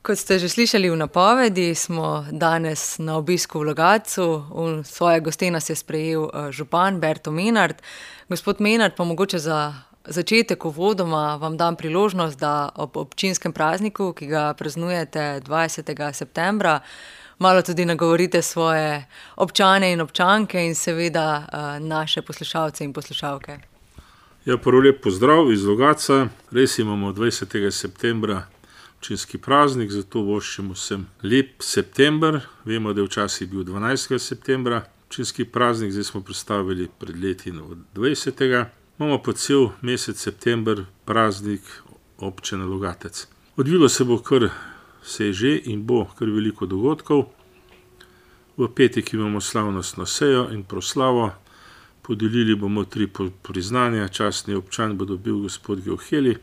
Kot ste že slišali v napovedi, smo danes na obisku v Logatcu. V svoje goste nas je sprejel župan Berto Menart. Gospod Menart, pa mogoče za začetek uvodoma vam dam priložnost, da ob občinskem prazniku, ki ga praznujete 20. septembra, malo tudi nagovorite svoje občane in občanke in seveda naše poslušalce in poslušalke. Ja, prvo lep pozdrav iz Logatca. Res imamo 20. septembra občinski praznik, zato voščimo vsem lep september. Vemo, da je včasih bil 12. septembra občinski praznik, zdaj smo predstavili pred leti od 20. Imamo pa cel mesec september praznik občine Logatec. Odvilo se bo se je že in bo kar veliko dogodkov. V petek imamo slavnostno sejo in proslavo. Podelili bomo 3 priznanja. Častni občan bo dobil gospod Gevheli,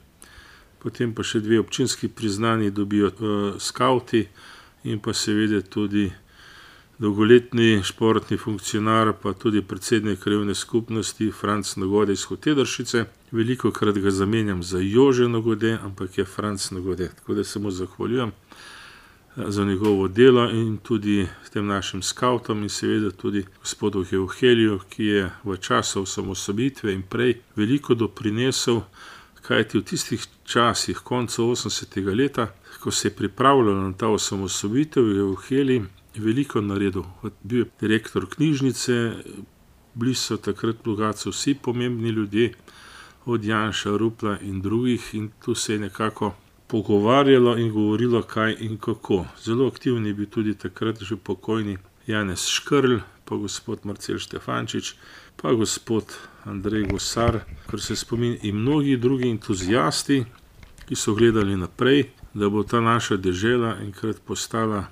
potem pa še 2 občinski priznanji dobijo skavti in pa seveda tudi dolgoletni športni funkcionar, pa tudi predsednik krajevne skupnosti Franc Nagode iz Hotedršice. Velikokrat ga zamenjam za Jože Nagode, ampak je Franc Nagode. Tako da se mu zahvaljujem za njegovo delo in tudi tem našim skavtom in seveda tudi gospodu Gevheliju, ki je v času osamosvojitve in prej veliko doprinesel, kajti v tistih časih, koncu 80. leta, ko se je pripravljalo na ta osamosvojitev, je Gevheli veliko naredil. Bil je direktor knjižnice, bili so takrat v Logatcu vsi pomembni ljudje, od Janša, Rupla in drugih, in tu se je nekako pogovarjalo in govorilo, kaj in kako. Zelo aktivni je bil tudi takrat že pokojni Janez Škrlj, pa gospod Marcel Štefančič, pa gospod Andrej Gosar, kar se spominja, in mnogi drugi entuzijasti, ki so gledali naprej, da bo ta naša dežela enkrat postala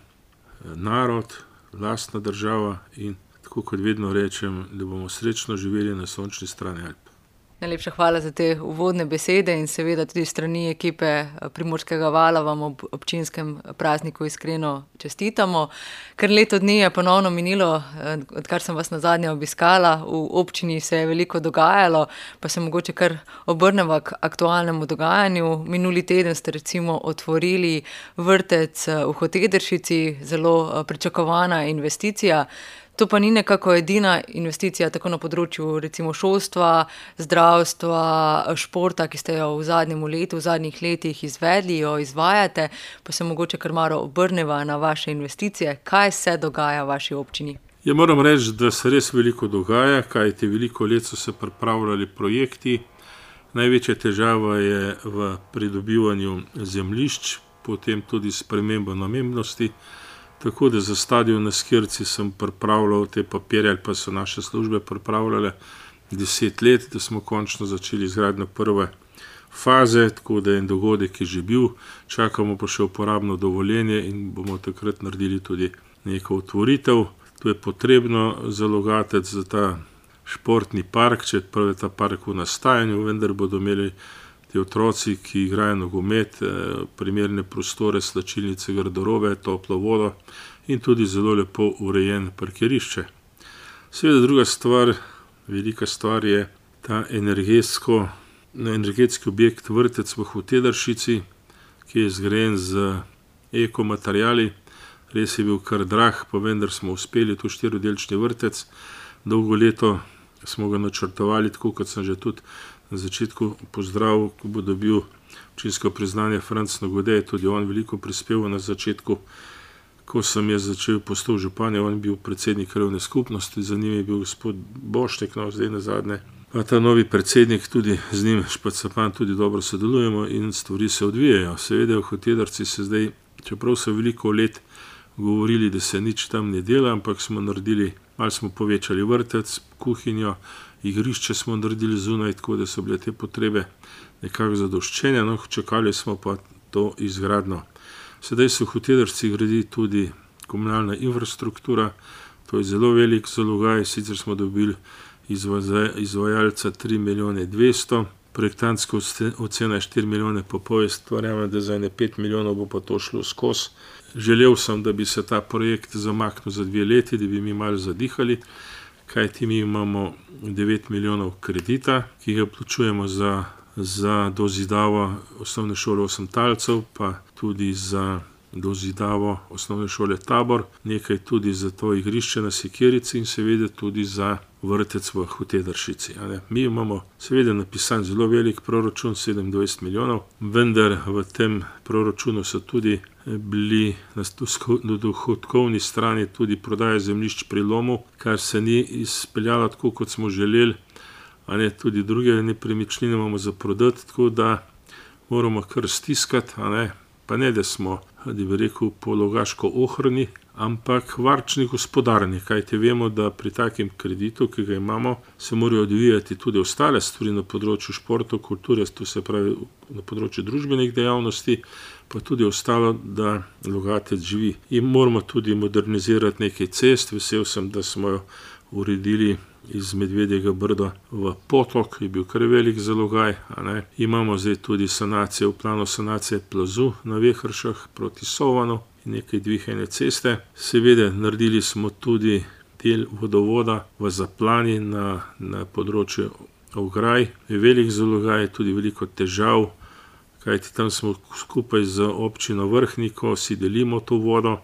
narod, lastna država in tako kot vedno rečem, da bomo srečno živeli na sončni strani Alp. Najlepša hvala za te uvodne besede in seveda tudi strani ekipe Primorskega vala vam ob občinskem prazniku iskreno čestitamo. Ker leto dni je ponovno minilo, odkar sem vas nazadnje obiskala, v občini se je veliko dogajalo, pa se mogoče kar obrnemo k aktualnemu dogajanju. Minuli teden ste recimo otvorili vrtec v Hotedršici, zelo pričakovana investicija. To pa ni nekako edina investicija tako na področju recimo šolstva, zdravstva, športa, ki ste jo v zadnjih letih izvedli, jo izvajate, pa se mogoče kar malo obrneva na vaše investicije. Kaj se dogaja v vaši občini? Ja, moram reči, da se res veliko dogaja, kajti veliko let so se pripravljali projekti. Največja težava je v pridobivanju zemljišč, potem tudi sprememba namembnosti. Tako da za stadion na Skirci sem pripravljal te papirje, ali pa so naše službe pripravljale 10 let, da smo končno začeli izgradnjo prve faze, tako da je en dogodek je že bil, čakamo pa še uporabno dovoljenje in bomo takrat naredili tudi neko otvoritev. To je potrebno za Logatec, za ta športni park, čeprav je ta park v nastajanju, vendar bodo imeli ti otroci, ki igrajo nogomet, primerne prostore, slačilnice, garderobe, toplo vodo in tudi zelo lepo urejen parkirišče. Seveda druga stvar, velika stvar je ta energetski objekt vrtec v Hotedršici, ki je zgrajen z ekomateriali. Res je bil kar drag, pa vendar smo uspeli, to 4-delčni vrtec. Dolgo leto smo ga načrtovali, tako kot sem že tudi na začetku pozdravil, ko bo dobil občinsko priznanje Franc Nagode, tudi on veliko prispeval na začetku. Ko sem jaz začel postal župan, on je bil predsednik krajevne skupnosti, za njim je bil gospod Bošnik, zdaj nazadnje. Pa ta novi predsednik, tudi z njim Špacapan tudi dobro sodelujemo in stvari se odvijajo. Seveda v Hotedrci se zdaj, čeprav so veliko let govorili, da se nič tam ne dela, ampak smo naredili, malo smo povečali vrtec, kuhinjo, igrišče smo naredili zunaj, tako da so bile te potrebe nekako zadoščene, čakali smo pa to izgradnjo. Sedaj se v Hotedrci gradi tudi komunalna infrastruktura, to je zelo velik zalogaj, sicer smo dobili izvajalca 3 milijone 200, projektantska ocena je 4 milijone pa pol, verjamem, da za 5 milijonov bo pa to šlo skozi. Želel sem, da bi se ta projekt zamaknil za 2 leti, da bi mi malo zadihali, kajti mi imamo 9 milijonov kredita, ki ga plačujemo za dozidavo osnovne šole Osemtalcev, pa tudi za dozidavo osnovne šole Tabor, nekaj tudi za to igrišče na Sekirici in seveda tudi za vrtec v Hotedršici. Mi imamo seveda napisan zelo velik proračun, 27 milijonov, vendar v tem proračunu so tudi bili na dohodkovni strani tudi prodaje zemljišč pri lomu, kar se ni izpeljalo tako, kot smo želeli, tudi druge nepremičnine imamo za prodati, tako da moramo kar stiskati, pa ne, da smo, da bi rekel, po Logaško ohrani, ampak varčni gospodarni, kajti vemo, da pri takem kreditu, ki ga imamo, se morajo odvijati tudi ostale stvari na področju športa, kulture, to se pravi na področju družbenih dejavnosti, pa tudi ostalo, da Logatec živi. In moramo tudi modernizirati nekaj cest, vesel sem, da smo jo uredili iz Medvedjega Brda v Potok, je bil kar velik zalogaj. Imamo zdaj tudi sanacijo, v planu sanacije plazu na Vehršah proti Sovanu in nekaj dvihajne ceste. Seveda naredili smo tudi del vodovoda v Zaplani na področju ograj. Je velik zalogaj, tudi veliko težav, kajti tam smo skupaj z občino Vrhniko, si delimo to vodo.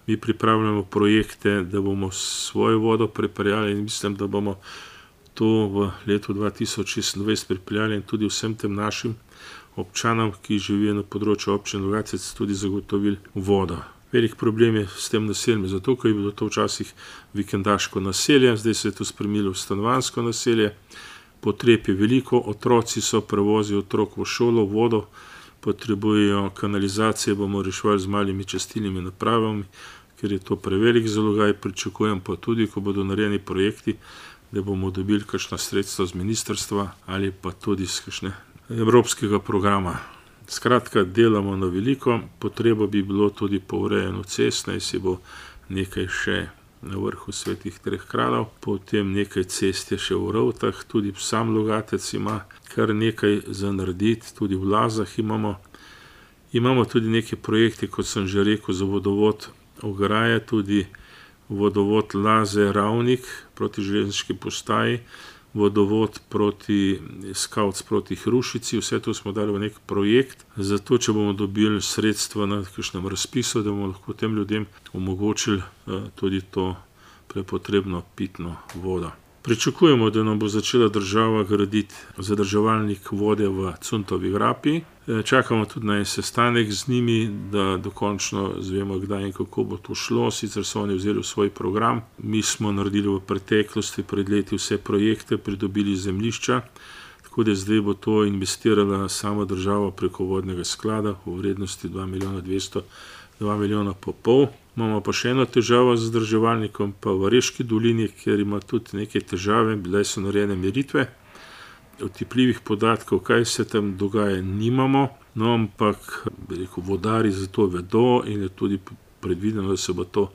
Mi pripravljamo projekte, da bomo svojo vodo pripeljali in mislim, da bomo to v letu 2026 pripeljali in tudi vsem tem našim občanom, ki živijo na področju občine Logatec, tudi zagotovili vodo. Velik problem je s tem naseljem, zato ker je bilo to včasih vikendaško naselje, zdaj se je to spremenilo v stanovanjsko naselje. Potreb je veliko, otroci so, prevozijo otrok v šolo, vodo, potrebujejo kanalizacije, bomo reševali z malimi čistilnimi napravami, ker je to prevelik zalogaj. Pričakujem pa tudi, ko bodo narejeni projekti, da bomo dobili kakšna sredstva z ministrstva ali pa tudi z kakšne evropskega programa. Skratka, delamo na veliko, potreba bi bilo tudi po urejanju cest, naj si bo nekaj še na vrhu Svetih treh kraljev, potem nekaj cest je še v Rovtah, tudi sam Logatec ima kar nekaj za narediti, tudi v Lazah imamo. Imamo tudi neke projekte, kot sem že rekel, za vodovod ograje, tudi vodovod Laze Ravnik proti železniški postaji, vodovod proti Skavc proti Hrušici, vse to smo dali v nek projekt, zato če bomo dobili sredstva na kakšnem razpisu, da bomo lahko tem ljudem omogočili tudi to prepotrebno pitno vodo. Pričakujemo, da nam bo začela država graditi zadrževalnik vode v Cuntovi grapi. Čakamo tudi na en sestanek z njimi, da dokončno zvemo, kdaj in kako bo to šlo. Sicer so oni vzeli v svoj program. Mi smo naredili v preteklosti pred leti vse projekte, pridobili zemljišča, tako da zdaj bo to investirala sama država preko vodnega sklada v vrednosti 2 milijona 200, 2 milijona pa pol. Imamo pa še eno težavo z zadrževalnikom, pa v Reški dolini, kjer ima tudi neke težave, bile so narejene meritve. Otipljivih podatkov, kaj se tam dogaja, nimamo, no ampak vodarji za to vedo in je tudi predvideno, da se bo to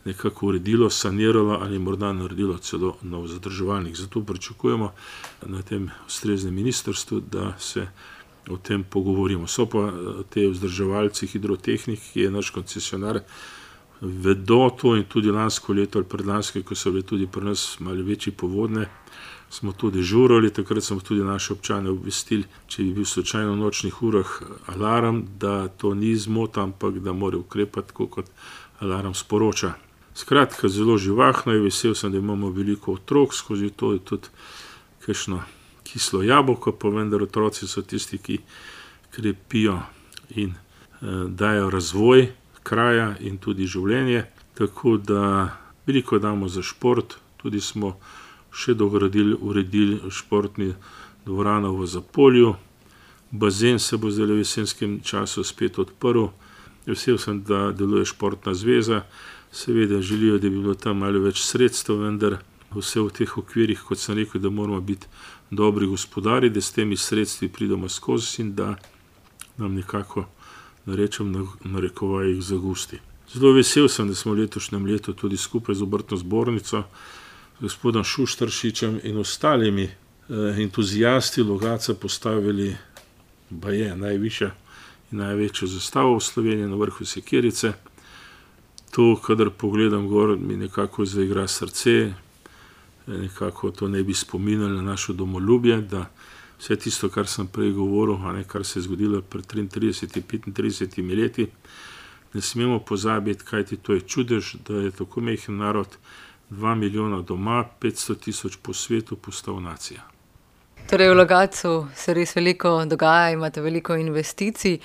nekako uredilo, saniralo ali morda naredilo celo nov zadrževalnik. Zato pričakujemo na tem ustreznem ministrstvu, da se o tem pogovorimo. So pa te vzdrževalci Hidrotehnik, ki je naš koncesionar, vedo to in tudi lansko leto ali predlansko, ko so bile tudi pri nas malo večji povodne, smo to dežurali, takrat smo tudi naše občane obvestili, če bi bil slučajno v nočnih urah alarm, da to ni zmota, ampak da mora ukrepati, tako kot alarm sporoča. Skratka, zelo živahno je, vesel sem, da imamo veliko otrok, skozi to je tudi kakšno kislo jabolko, pa vendar otroci so tisti, ki krepijo in dajo razvoj kraja in tudi življenje, tako da veliko damo za šport, tudi smo še dogradili, uredili športni dvorano v Zapolju, bazen se bo zdaj v jesenskem času spet odprl, vesel sem, da deluje športna zveza, seveda želijo, da bi bilo tam malo več sredstev, vendar vse v teh okvirih, kot sem rekel, da moramo biti dobri gospodari, da s temi sredstvi pridemo skozi in da nam nekako, da rečem, narekovajih zagusti. Zelo vesel sem, da smo v letošnjem letu tudi skupaj z obrtno zbornico, gospodom Šuštaršičem in ostalimi entuzijasti Logatca postavili baje najvišja in največjo zastavo v Sloveniji na vrhu Sekirice. To, kadar pogledam gor, mi nekako zaigra srce, nekako to ne bi spominjali na našo domoljubje, da vse tisto, kar sem prej govoril, kar se je zgodilo pred 33, 35 leti, ne smemo pozabiti, kajti to je čudež, da je tako majhen narod, 2 milijona doma, 500 000 po svetu, postal nacija. Torej v Logatcu se res veliko dogaja, imate veliko investicij.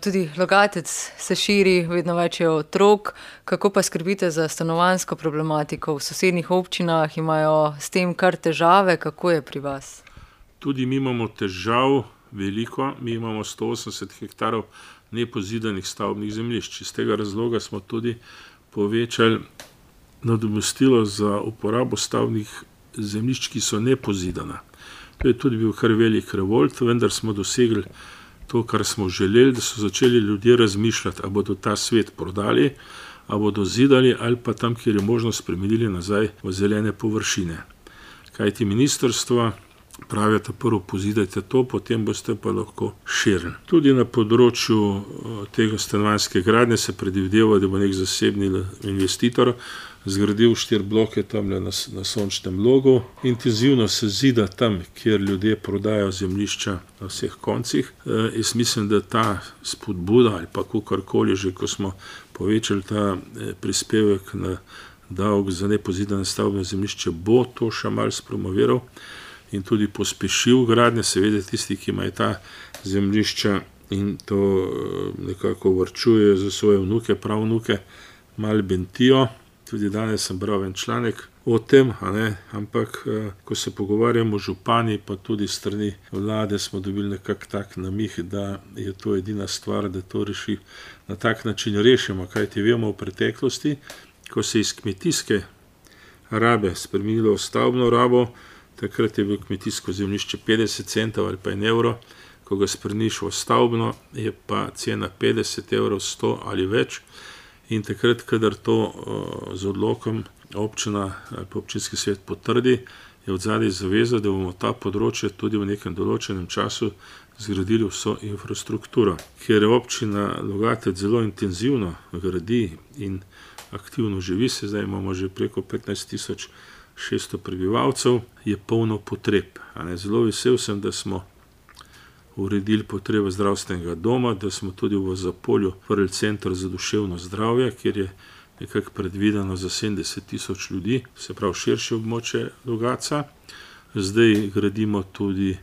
Tudi Logatec se širi, vedno več je otrok. Kako pa skrbite za stanovanjsko problematiko? V sosednjih občinah imajo s tem kar težave. Kako je pri vas? Tudi mi imamo težav veliko. Mi imamo 180 hektarov nepozidanih stavbnih zemljišč. Iz tega razloga smo tudi povečali nadomestilo za uporabo stavbnih zemljišč, ki so nepozidana. To je tudi bil kar velik revolt, vendar smo dosegli to, kar smo želeli, da so začeli ljudje razmišljati, ali bodo ta svet prodali, ali bodo zidali, ali pa tam, kjer je možno, spremenili nazaj v zelene površine. Kajti ministrstvo pravijo, da prvo pozidajte to, potem boste pa lahko širili. Tudi na področju tega stanovanjske gradnje se predvideva, da bo nek zasebni investitor zgradil 4 bloke tam na Sončnem Logu. Intenzivno se zida tam, kjer ljudje prodajo zemljišča na vseh koncih. Jaz mislim, da ta spodbuda ali pa kakorkoli že, ko smo povečali ta prispevek na davek za nepozidane stavbne zemljišče, bo to še malo spromoviral in tudi pospešil gradnje. Seveda tisti, ki imajo ta zemljišča in to nekako varčujejo za svoje vnuke, pravnuke, malo bentijo. Tudi danes sem bral en članek o tem, ampak ko se pogovarjamo župani, pa tudi strani vlade, smo dobili nekak tak namih, da je to edina stvar, da to reši na tak način rešimo. Kajti vemo v preteklosti, ko se iz kmetijske rabe spremenilo v stavbno rabo, takrat je bilo kmetijsko zemljišče 50 centov ali pa 1 evro, ko ga spremeniš v stavbno, je pa cena 50 evrov, 100 ali več. In takrat, kadar to z odlokom občina ali pa občinski svet potrdi, je odzadaj zaveza, da bomo ta področje tudi v nekem določenem času zgradili vso infrastrukturo. Ker je občina Logatec zelo intenzivno gradi in aktivno živi, zdaj imamo že preko 15.600 prebivalcev, je polno potreb. Zelo vesel sem, da smo uredili potrebe zdravstvenega doma, da smo tudi v Zapolju odprli center za duševno zdravje, kjer je nekako predvideno za 70 000 ljudi, se pravi širše območje Logatca. Zdaj gradimo tudi,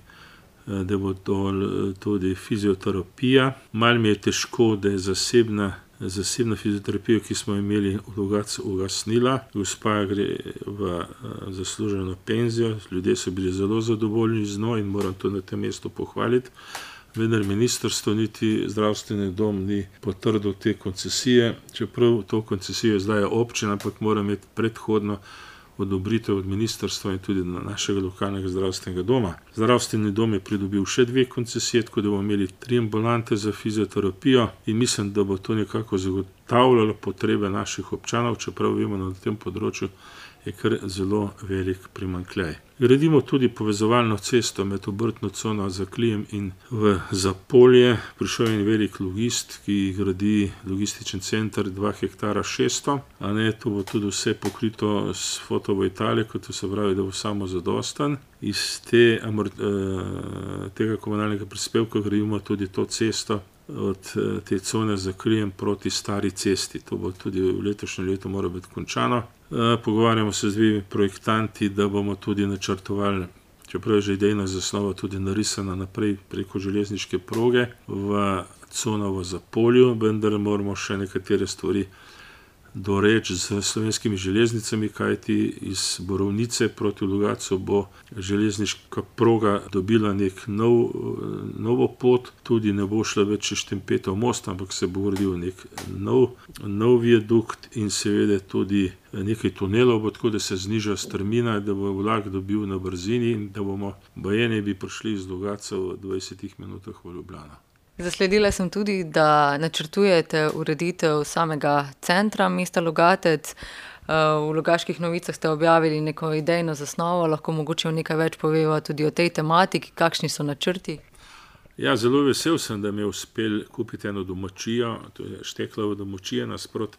da bo tudi fizioterapija. Malo mi je težko, da je zasebna fizioterapija, ki smo imeli v Logatcu, ugasnila. Gospa gre v zasluženo penzijo, ljudje so bili zelo zadovoljni z njo in moram to na tem mestu pohvaliti. Vendar ministrstvo niti zdravstveni dom ni potrdil te koncesije, čeprav to koncesijo zdaj občina, ampak mora imeti predhodno odobritev od ministrstva in tudi našega lokalnega zdravstvenega doma. Zdravstveni dom je pridobil še 2 koncesije, tako da bomo imeli 3 ambulante za fizioterapijo in mislim, da bo to nekako zagotavljalo potrebe naših občanov, čeprav vemo, da na tem področju je kar zelo velik primanjkljaj. Gradimo tudi povezovalno cesto med obrtno cono Zaklijem in v Zapolje. Prišel je en velik logist, ki gradi logističen center 2 hektara 600. To bo tudi vse pokrito s fotovoltaiko, to se pravi, da bo samozadosten. Iz tega komunalnega prispevka gradimo tudi to cesto od te cone Zaklijem proti Stari cesti. To bo tudi v letošnjem letu mora biti končano. Pogovarjamo se z 2 projektanti, da bomo tudi načrtovali, čeprav je že idejna zasnova tudi narisana naprej preko železniške proge v cono v Zapolju, vendar moramo še nekatere stvari doreči z Slovenskimi železnicami, kajti iz Borovnice proti Logatcu bo železniška proga dobila nek novo pot, tudi ne bo šla več čez Štempetov most, ampak se bo gradil nek nov viadukt in seveda tudi nekaj tunelov bo, tako da se zniža strmina, da bo vlak dobil na brzini in da bomo bajeni bi prišli iz Logatca v 20 minutah v Ljubljano. Zasledila sem tudi, da načrtujete ureditev samega centra mesta Logatec. V Logaških novicah ste objavili neko idejno zasnovo, lahko mogoče nekaj več poveva tudi o tej tematiki, kakšni so načrti? Ja, zelo vesel sem, da mi je uspel kupiti eno domačijo, to je Šteklova domačija nasproti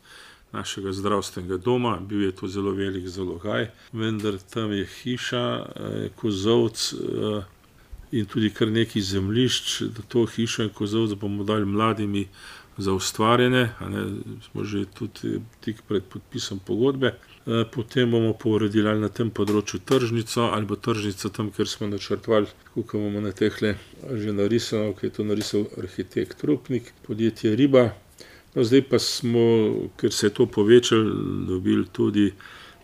našega zdravstvenega doma. Bil je to zelo velik zalogaj, vendar tam je hiša, kozolc in tudi kar nekaj zemljišč, da to hišo in kozolc bomo dali mladimi za ustvarjanje, smo že tudi tik pred podpisom pogodbe. Potem bomo pa uredili ali na tem področju tržnico, ali bo tržnica tam, kjer smo načrtovali, tako kot bomo na tehle že narisano, ki je to narisal arhitekt Rupnik, podjetje Riba. No, zdaj pa smo, ker se je to povečalo, dobili tudi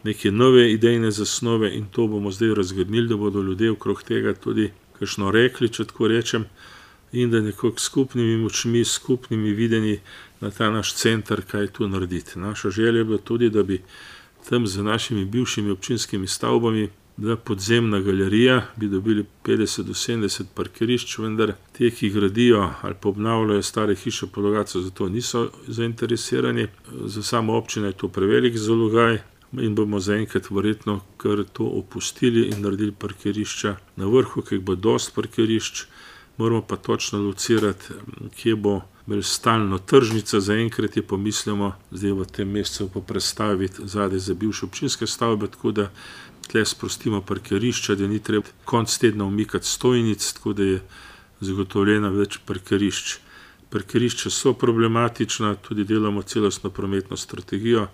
neke nove idejne zasnove in to bomo zdaj razgrnili, da bodo ljudje okrog tega tudi kakšno rekli, če tako rečem, in da nekako skupnimi močmi, skupnimi videnji na ta naš center kaj tu narediti. Naša želja je bila tudi, da bi tam z našimi bivšimi občinskimi stavbami bila podzemna galerija, bi dobili 50 do 70 parkirišč, vendar te, ki gradijo ali pa obnavljajo stare hiše po Logatcu, zato niso zainteresirani. Za samo občino je to prevelik zalogaj in bomo zaenkrat verjetno kar to opustili in naredili parkirišča na vrhu, ker bo dosti parkirišč. Moramo pa točno locirati, kje bo stalno tržnica, zaenkrat je pomislimo, zdaj v tem mesecu pa prestaviti zadaj za bivše občinske stavbe, tako da tle sprostimo parkirišča, da ni treba konc tedna umikati stojnic, tako da je zagotovljena več parkirišč. Parkirišča so problematična, tudi delamo celostno prometno strategijo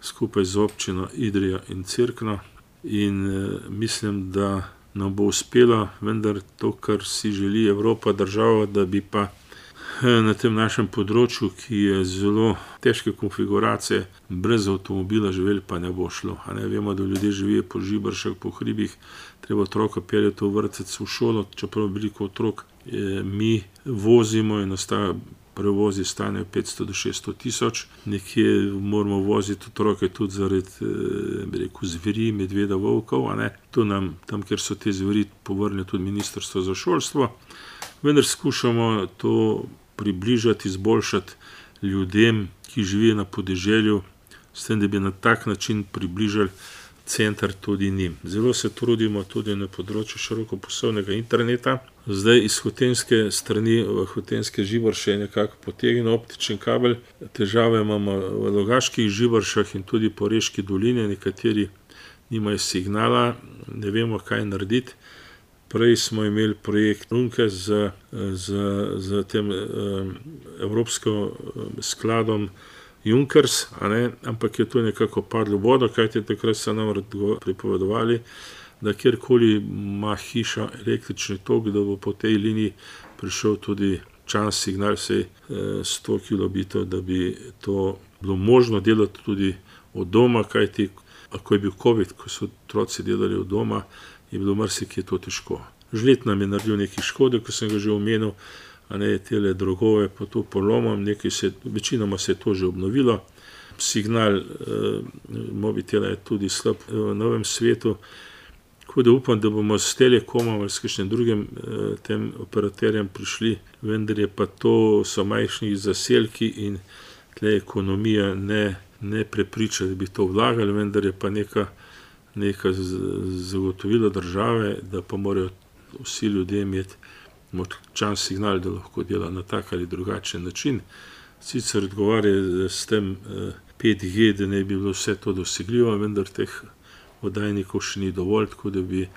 skupaj z občino Idrija in Cerkno in mislim, da nam bo uspelo, vendar to, kar si želi Evropa, država, da bi pa na tem našem področju, ki je zelo težke konfiguracije, brez avtomobila živeli, pa ne bo šlo. Vemo, da ljudje živijo po žibršah, po hribih, treba otroka peljati v vrtec, v šolo, čeprav veliko otrok mi vozimo in prevozi stanejo 500 do 600 tisoč. Nekje moramo voziti otroke tudi zaradi zveri, medveda, volkov. To nam, tam, kjer so te zveri, povrne tudi Ministrstvo za šolstvo. Vendar skušamo to približati, izboljšati ljudem, ki živijo na podeželju, s tem, da bi na tak način približali center tudi njim. Zelo se trudimo tudi na področju širokopasovnega interneta. Zdaj iz hotenske strani, v hotenske živrše je nekako potegnjen optičen kabel. Težave imamo v Logaških živršah in tudi po Reški dolini, nekateri nimajo signala, ne vemo, kaj narediti. Prej smo imeli projekt Runke z tem evropskim skladom Junkers, ampak je to nekako padlo v vodo, kajti takrat so nam pripovedovali, da kjerkoli ima hiša električni tok, da bo po tej liniji prišel tudi čas signal, vsej 100 kilobitov, da bi to bilo možno delati tudi od doma, kajti ko je bil COVID, ko so otroci delali od doma, je bilo marsikje to težko. Žled nam je naredil nekaj škode, ko sem ga že omenil, tele drogove po to polomom, večinoma se je to že obnovilo. Signal mobitela je tudi slab v novem svetu, tako da upam, da bomo s Telekomom ali s kakšnim drugim tem operaterjem prišli, vendar je pa to so majhni zaselki in tle ekonomija ne prepriča, da bi to vlagali, vendar je pa neka zagotovilo države, da pa morajo vsi ljudje imeti močan signal, da lahko dela na tak ali drugačen način. Sicer odgovarja s tem 5G, da ne bi bilo vse to dosegljivo, vendar teh oddajnikov še ni dovolj, tako da bi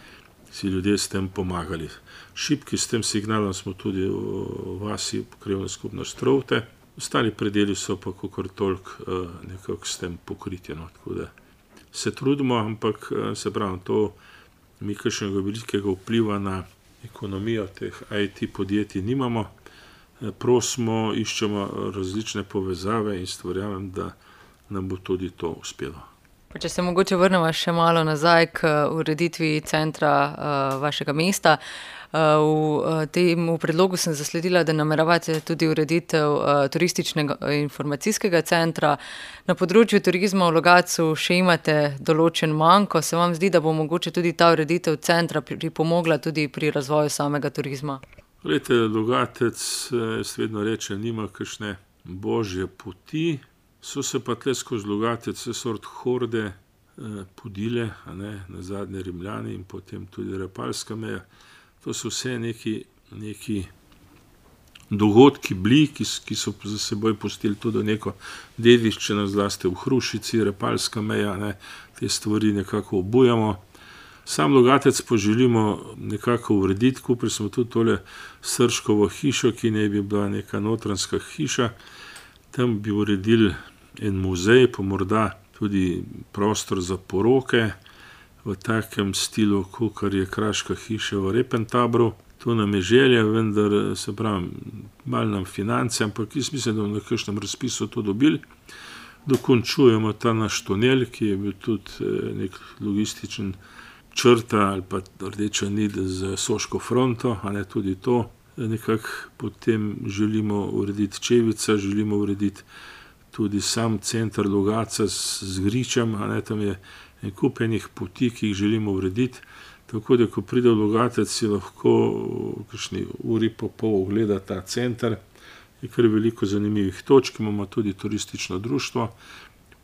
si ljudje s tem pomagali. Šibki s tem signalom smo tudi v vasi Krajevna skupnost Trovte. Ostali predeli so pa kakor toliko nekako s tem pokriti. Tako da se trudimo, ampak se pravi, to mi kakšnega velikega vpliva na ekonomijo teh IT podjetij nimamo. Prosimo, iščemo različne povezave in verjamem, da nam bo tudi to uspelo. Če se mogoče vrnemo še malo nazaj k ureditvi centra vašega mesta. V tem predlogu sem zasledila, da nameravate tudi ureditev turističnega informacijskega centra. Na področju turizma v Logatcu še imate določen manko. Se vam zdi, da bo mogoče tudi ta ureditev centra pripomogla tudi pri razvoju samega turizma? Glejte, Logatec, jaz vedno rečem, nima kakšne božje poti. So se pa tle skozi Logatec vse sort horde podile, na zadnje Rimljani in potem tudi Repalska meja. To so vse neki dogodki bili, ki so za seboj pustili tudi neko dediščino, zlasti v Hrušici, Repalska meja, te stvari nekako obujamo. Sam Logatec pa želimo nekako urediti, kupili smo tudi tole Srškovo hišo, ki naj bi bila neka notranjska hiša. Tam bi uredili en muzej, pa morda tudi prostor za poroke v takem stilu, kakor je Kraška hiša v Repentabru. To nam je želja, vendar se pravi, malo nam finance, ampak jaz mislim, da bomo na kakšnem razpisu to dobili. Dokončujemo ta naš tunel, ki je bil tudi nek logističen črta ali pa rdeča nit z Soško fronto, a ne tudi to. Nekako potem želimo urediti Čevica, želimo urediti tudi sam center Logatca z gričem, a ne, tam je en kup enih poti, ki jih želimo urediti. Tako da, ko pride v Logatec, si lahko v kakšni uri pa pol ogleda ta center. Je kar veliko zanimivih točk, imamo tudi turistično društvo,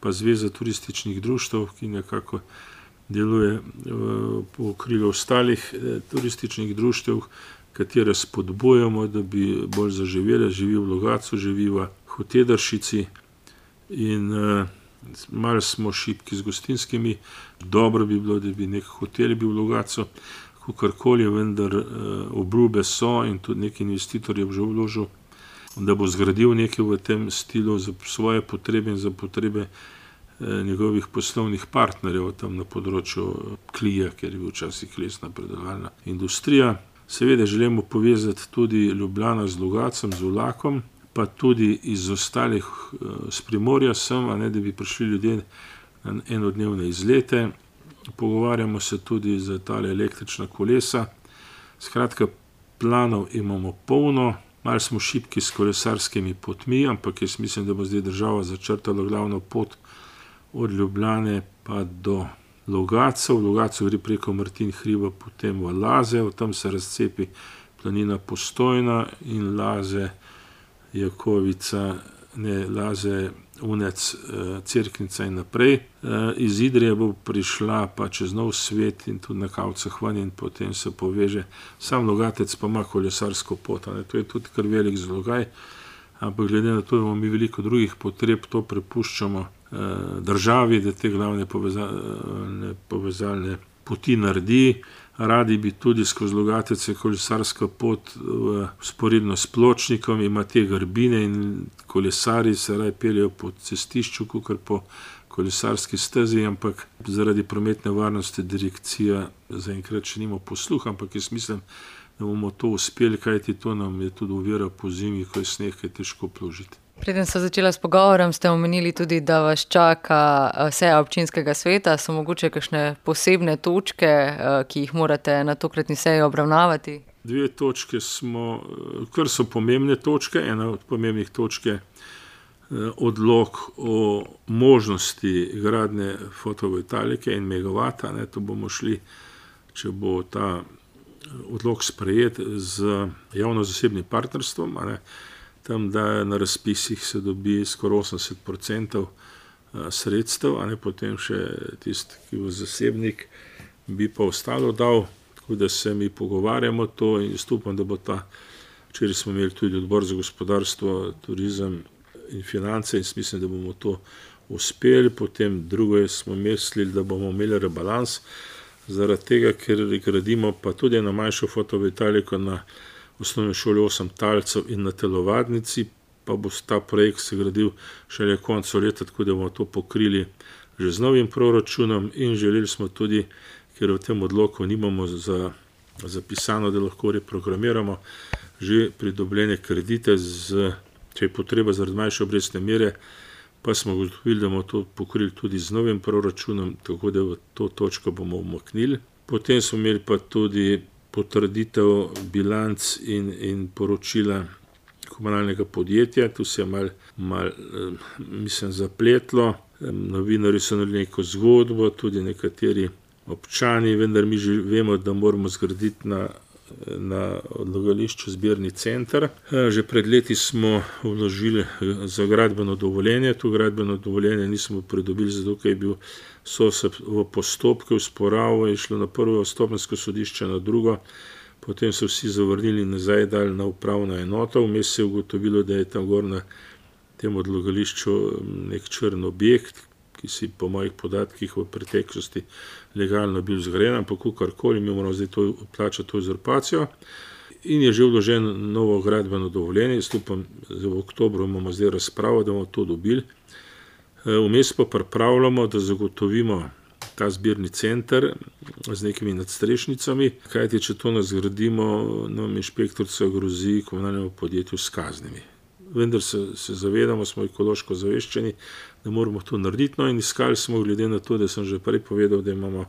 pa Zveza turističnih društev, ki nekako deluje po okrilju ostalih turističnih društev, katere spodbujamo, da bi bolj zaživele, živi v Logatcu, živi v Hotedršici in malo smo šibki z gostinskimi. Dobro bi bilo, da bi nek hotel bil v Logatcu, kakorkoli, vendar obljube so in tudi nek investitor je že vložil, da bo zgradil nekaj v tem stilu za svoje potrebe in za potrebe njegovih poslovnih partnerjev tam na področju klija, ker je bil včasih lesna predelovalna industrija. Seveda želimo povezati tudi Ljubljana z Logatcem, z vlakom, pa tudi iz ostalih s Primorja sem, a ne, da bi prišli ljudje na enodnevne izlete. Pogovarjamo se tudi za tale električna kolesa. Skratka, planov imamo polno. Malo smo šibki s kolesarskimi potmi, ampak jaz mislim, da bo zdaj država začrtala glavno pot od Ljubljane pa do Logatca. V Logatcu gre preko Martin hriba, potem v Laze, tam se razcepi planina Postojna in Laze, Jakovica, ne, Laze, Unec, Cerknica in naprej. Iz Idrije bo prišla pa čez Nov Svet in tudi na Kavcah ven in potem se poveže. Sam Logatec pa ima kolesarsko pot, ne, to je tudi kar velik zalogaj, ampak glede na to, da imamo mi veliko drugih potreb, to prepuščamo državi, da te glavne povezalne poti naredi. Radi bi tudi skozi Logatec kolesarska pot vzporedno s pločnikom, ima te grbine in kolesari se raje peljejo po cestišču, kakor po kolesarski stezi, ampak zaradi prometne varnosti direkcija zaenkrat še nima posluha, ampak jaz mislim, da bomo to uspeli, kajti to nam je tudi ovira po zimi, ko je sneg, je težko pložiti. Preden so začela s pogovorom, ste omenili tudi, da vas čaka seja občinskega sveta. So mogoče kakšne posebne točke, ki jih morate na tokratni seji obravnavati? Dve točke smo, kar so pomembne točke. Ena od pomembnih točk je odlok o možnosti gradnje fotovoltaike in megavata. To bomo šli, če bo ta odlok sprejet z javno-zasebnim partnerstvom, tam, da na razpisih se dobi skoraj 80% sredstev, potem še tisti, ki bo zasebnik, bi pa ostalo dal, tako da se mi pogovarjamo to in upam, da bo ta, včeraj smo imeli tudi odbor za gospodarstvo, turizem in finance in mislim, da bomo to uspeli. Potem drugo smo mislili, da bomo imeli rebalans, zaradi tega, ker gradimo pa tudi na manjšo fotovoltaiko na osnovni šoli 8 talcev in na telovadnici, pa bo ta projekt se gradil šele koncu leta, tako da bomo to pokrili že z novim proračunom in želeli smo tudi, ker v tem odloku nimamo zapisano, da lahko reprogramiramo že pridobljene kredite, če je potreba zaradi manjše obrestne mere, pa smo ugotovili, da bomo to pokrili tudi z novim proračunom, tako da v to točko bomo umaknili. Potem smo imeli pa tudi potrditev bilanc in poročila komunalnega podjetja. Tu se je malo zapletlo. Novinarji so naredili neko zgodbo, tudi nekateri občani, vendar mi že vemo, da moramo zgraditi na odlagališču zbirni center. Že pred leti smo vložili za gradbeno dovoljenje. To gradbeno dovoljenje nismo pridobili, zato ker je bil v postopku, v sporavu, je šlo na prvo stopenjsko sodišče, na drugo, potem so vsi zavrnili nazaj, dali na upravno enoto. Vmes se je ugotovilo, da je tam gor na tem odlagališču nek črn objekt, ki si po mojih podatkih v preteklosti legalno bil zgrajen, ampak kakorkoli mi moramo zdaj to plačati to uzurpacijo. in je že vloženo novo gradbeno dovoljenje. Jaz upam, da v oktobru imamo zdaj razpravo, da bomo to dobili. Vmes pa pripravljamo, da zagotovimo ta zbirni center z nekimi nadstrešnicami, kajti če to ne zgradimo, nam inšpektorica grozi komunalnemu podjetju s kaznimi. Vendar se zavedamo, smo ekološko zaveščeni, da moramo to narediti. No, in iskali smo, glede na to, da sem že prej povedal, da imamo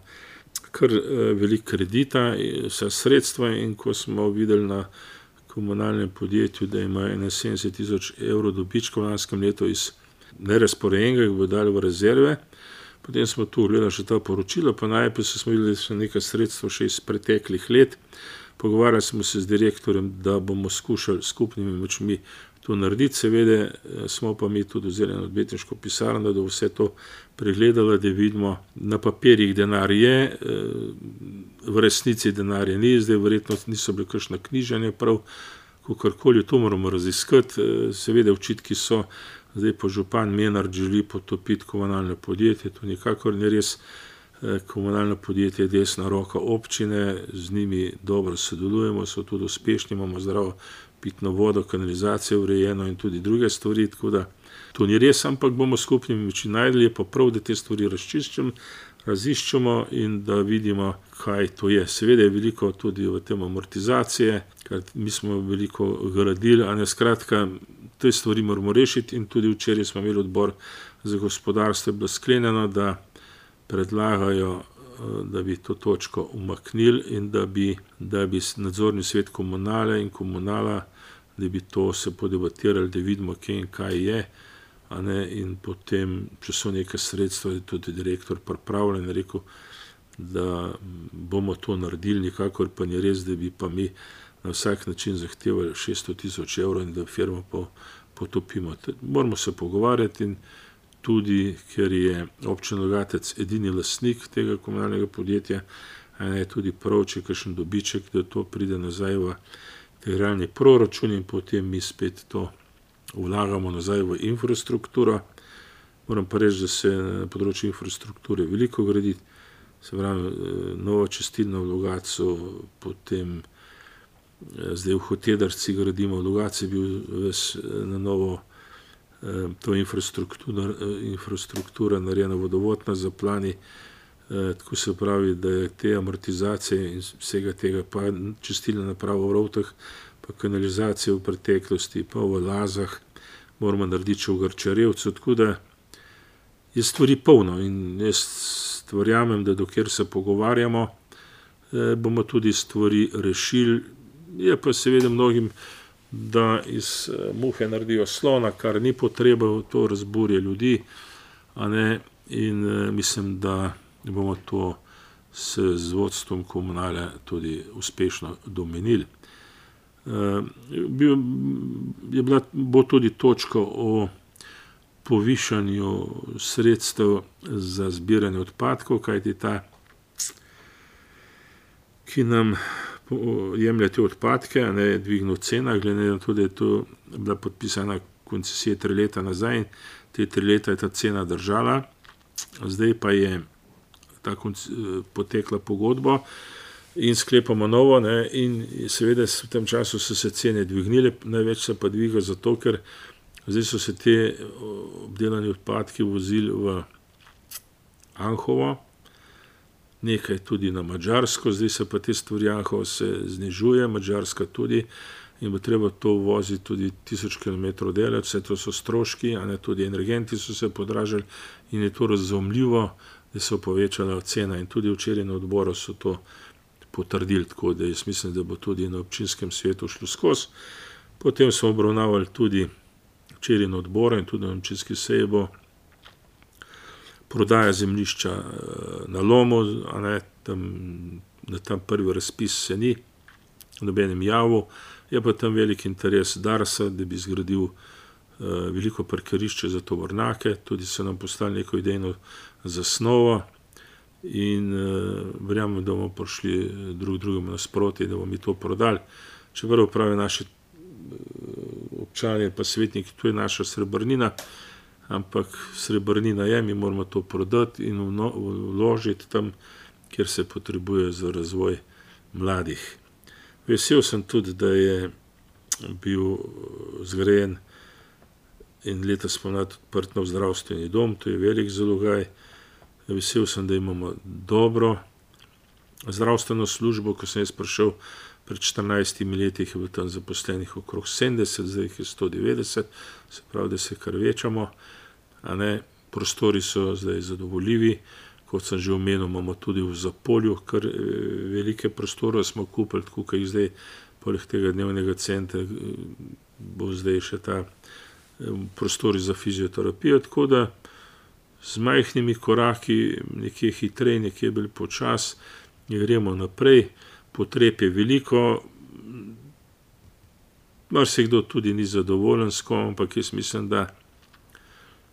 kar veliko kredita, vsa sredstva, in ko smo videli na komunalnem podjetju, da ima 71 000 evrov dobička v lanskem letu iz nerazporejenega, ki bo dali v rezerve, potem smo tu gledali še ta poročila, pa najprej smo videli, da so nekaj sredstva še iz preteklih let. Pogovarjali smo se z direktorjem, da bomo skušali skupnimi močmi to narediti. Seveda smo pa mi tudi vzeli eno odvetniško pisarno, da vse to pregledala, da vidimo, na papirjih denar je, v resnici denarja ni, zdaj verjetno niso bile kakšna knjiženja prav, kakorkoli, to moramo raziskati. Seveda očitki so, zdaj pa župan Menard želi potopiti komunalno podjetje, to nikakor ni res. Komunalno podjetje je desna roka občine, z njimi dobro sodelujemo, so tudi uspešni, imamo zdravo pitno vodo, kanalizacijo urejeno in tudi druge stvari, tako da to ni res, ampak bomo skupnimi močmi najdli, je pa prav, da te stvari raziščemo in da vidimo, kaj to je. Seveda je veliko tudi v tem amortizacije, ker mi smo veliko gradili, a ne, skratka, te stvari moramo rešiti. In tudi včeraj smo imeli odbor za gospodarstvo, je bilo sklenjeno, da predlagajo, da bi to točko umaknili in da bi nadzorni svet komunale in komunala, da bi to se podebatirali, da vidimo, kje in kaj je, a ne, in potem, če so neke sredstva, je tudi direktor pripravljen, rekel, da bomo to naredili, nikakor pa ni res, da bi pa mi na vsak način zahtevali 600 000 evrov in da firmo potopimo. Moramo se pogovarjati, in tudi, ker je občina Logatec edini lastnik tega komunalnega podjetja, je tudi prav, če kakšen dobiček, da to pride nazaj v integralni proračun in potem mi spet to vlagamo nazaj v infrastrukturo. Moram pa reči, da se na področju infrastrukture veliko gradi, se pravi, nova čistilna v Logatcu, potem zdaj v Hotedarci gradimo, v Logatcu je bil na novo to infrastruktura narejena, vodovodna zaplani, tako se pravi, da je te amortizacije in vsega tega, pa čistilna naprava v Rovtah, pa kanalizacija v preteklosti, pa v Lazah, moramo narediti še v Grčarjevcu, tako da je stvari polno in jaz verjamem, da dokler se pogovarjamo, bomo tudi stvari rešili. Je pa seveda mnogim, da iz muhe naredijo slona, kar ni potreba, to razburja ljudi, a ne, in mislim, da bomo to z vodstvom komunale tudi uspešno domenili. Bo tudi točka o povišanju sredstev za zbiranje odpadkov, kajti ta, ki nam jemlje te odpadke, je dvignil cena, glede na to, da je to bila podpisana koncesija 3 leta nazaj, in te 3 leta je ta cena držala, zdaj pa je potekla pogodba in sklepamo novo, in seveda v tem času so se cene dvignile, največ se pa dviga zato, ker zdaj so se te obdelani odpadki vozili v Anhovo, nekaj tudi na Madžarsko, zdaj se pa te stvari Anhovo se znižuje, Madžarska tudi, in bo treba to voziti tudi 1000 km daleč, vse to so stroški, a ne, tudi energenti so se podražili in je to razumljivo, da so povečala cena, in tudi včeraj na odboru so to potrdili, tako da jaz mislim, da bo tudi na občinskem svetu šlo skozi. Potem smo obravnavali tudi včeraj na odboru in tudi na občinski seji bo prodaja zemljišča na Lomu, a ne, tam prvi razpis se ni nobenem javil, je pa tam velik interes Darsa, da bi zgradil veliko parkirišče za tovornjake, tudi se nam postavili neko idejno zasnovo in verjamem, da bomo prišli drugemu nasproti, da bomo mi to prodali. Čeprav pravi naši občani pa svetniki, to je naša srebrnina, ampak srebrnina je, mi moramo to prodati in vložiti tam, kjer se potrebuje za razvoj mladih. Vesel sem tudi, da je bil zgrajen in letos spomladi odprt nov zdravstveni dom, to je velik zalogaj. Vesel sem, da imamo dobro zdravstveno službo. Ko sem jaz prišel pred 14 leti, je bilo tam zaposlenih okrog 70, zdaj jih je 190, se pravi, da se kar večamo. Prostori so zdaj zadovoljivi. Kot sem že omenil, imamo tudi v Zapolju kar velike prostore smo kupili, tako kot jih zdaj, poleg tega dnevnega centra, bo zdaj še ta prostori za fizioterapijo, tako da z majhnimi koraki, nekje hitreje, nekje bolj počas, gremo naprej. Potreb je veliko, marsikdo tudi ni zadovoljen s kom, ampak jaz mislim, da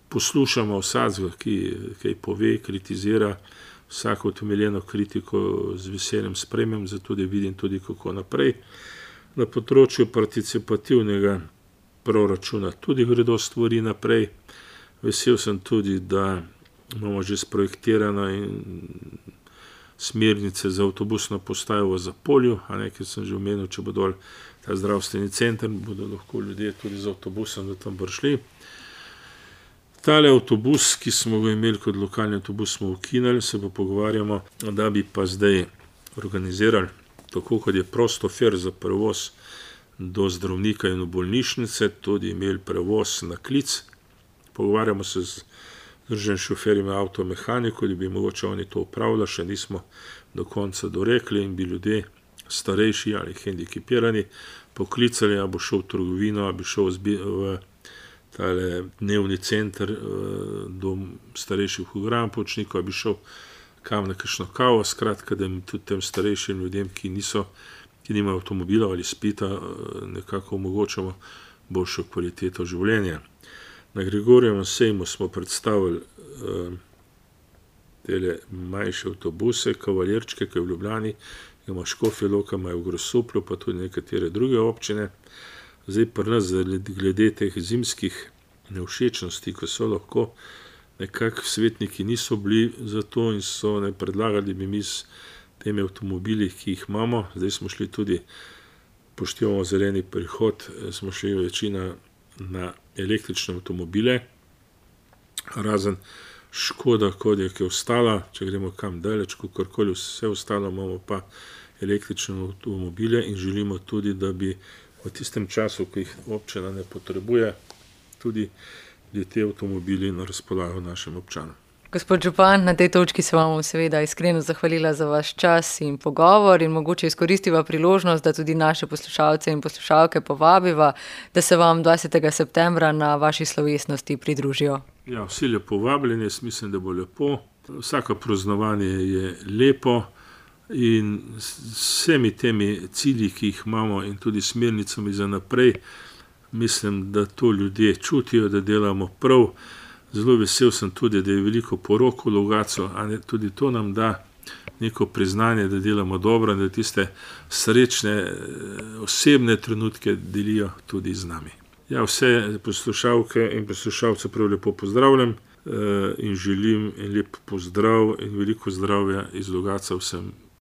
poslušamo vsakega, ki kaj pove, kritizira, vsako utemeljeno kritiko z veseljem sprejmem, zato da vidim tudi, kako naprej. Na področju participativnega proračuna tudi gredo stvari naprej. Vesel sem tudi, da imamo že sprojektirano in smernice za avtobusno postajo v Zapolju, ker sem že omenil, če bo dol ta zdravstveni center, bodo lahko ljudje tudi z avtobusom do tam prišli. Tale avtobus, ki smo ga imeli kot lokalni avtobus, smo ukinili, se pa pogovarjamo, da bi pa zdaj organizirali, tako kot je Prostofer za prevoz do zdravnika in v bolnišnice, tudi imeli prevoz na klic. Pogovarjamo se z združenjem šoferjev avtomehanikov, da bi mogoče oni to upravljali, še nismo do konca dorekli in bi ljudje starejši ali hendikepirani poklicali, a bo šel v trgovino, a bi šel v tale dnevni center do starejših v Grampočniku, a bi šel kam na kakšno kavo, skratka, da tudi tem starejšim ljudem, ki nimajo avtomobila ali spita, nekako omogočamo boljšo kvaliteto življenja. Na Grigorjevem sejmu smo predstavili tele manjše avtobuse, kavalirčke, ki je v Ljubljani, ima Škofja Loka, imajo v Grosuplju, pa tudi nekatere druge občine. Zdaj pri nas, glede teh zimskih nevšečnosti, ko so lahko nekako svetniki niso bili za to in so ne predlagali, da bi mi s temi avtomobili, ki jih imamo, zdaj smo šli tudi, poštevamo zeleni prihod, smo šli večina na električne avtomobile, razen Škoda, kot je ostala, če gremo kam daleč, kakorkoli vse ostalo, imamo pa električne avtomobile in želimo tudi, da bi v tistem času, ko jih občina ne potrebuje, tudi te avtomobili na razpolago našim občanom. Gospod župan, na tej točki se vam seveda iskreno zahvalila za vaš čas in pogovor in mogoče izkoristiva priložnost, da tudi naše poslušalce in poslušalke povabiva, da se vam 20. septembra na vaši slovesnosti pridružijo. Ja, vsi lepo vabljeni, jaz mislim, da bo lepo. Vsako praznovanje je lepo in s vsemi temi cilji, ki jih imamo in tudi smernicami za naprej, mislim, da to ljudje čutijo, da delamo prav. Zelo vesel sem tudi, da je veliko porok v Logatcu, tudi to nam da neko priznanje, da delamo dobro in da tiste srečne osebne trenutke delijo tudi z nami. Ja, vse poslušalke in poslušalce prav lepo pozdravljam in želim en lep pozdrav in veliko zdravja iz Logatca vsem